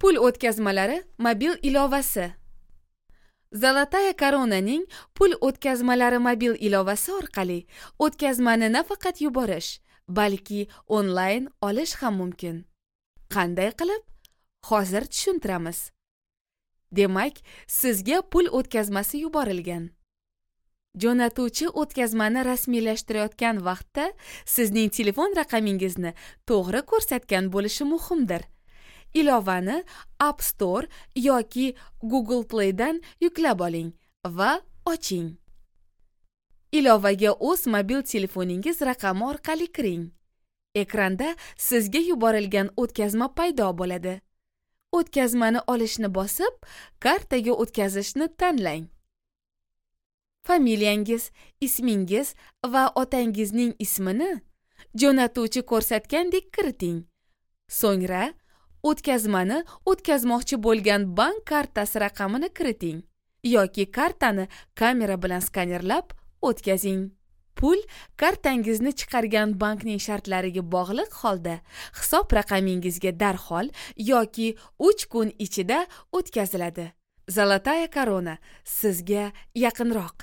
Pul o'tkazmalari mobil ilovasi. Золотая Koronaning pul o'tkazmalari mobil ilovasi orqali o'tkazmani nafaqat yuborish, balki onlayn olish ham mumkin. Qanday qilib? Hozir tushuntiramiz. Demak, sizga pul o'tkazmasi yuborilgan. Jo'natuvchi o'tkazmani rasmiylashtirayotgan vaqtda sizning telefon raqamingizni to'g'ri ko'rsatgan bo'lishi muhimdir. Ilovani App Store yoki Google Play'dan yuklab oling va oching. Ilovaga o'z mobil telefoningiz raqami orqali kiring. Ekranda sizga yuborilgan o'tkazma paydo bo'ladi. O'tkazmani olishni bosib, kartaga o'tkazishni tanlang. Familiyangiz, ismingiz va otangizning ismini jo'natuvchi ko'rsatgandek kiriting. So'ngra o'tkazmani o'tkazmoqchi bo'lgan bank kartasi raqamini kiriting yoki kartani kamera bilan skanerlab o'tkazing. Pul kartangizni chiqargan bankning shartlariga bog'liq holda hisob raqamingizga darhol yoki 3 kun ichida o'tkaziladi. Золотая Корона sizga yaqinroq.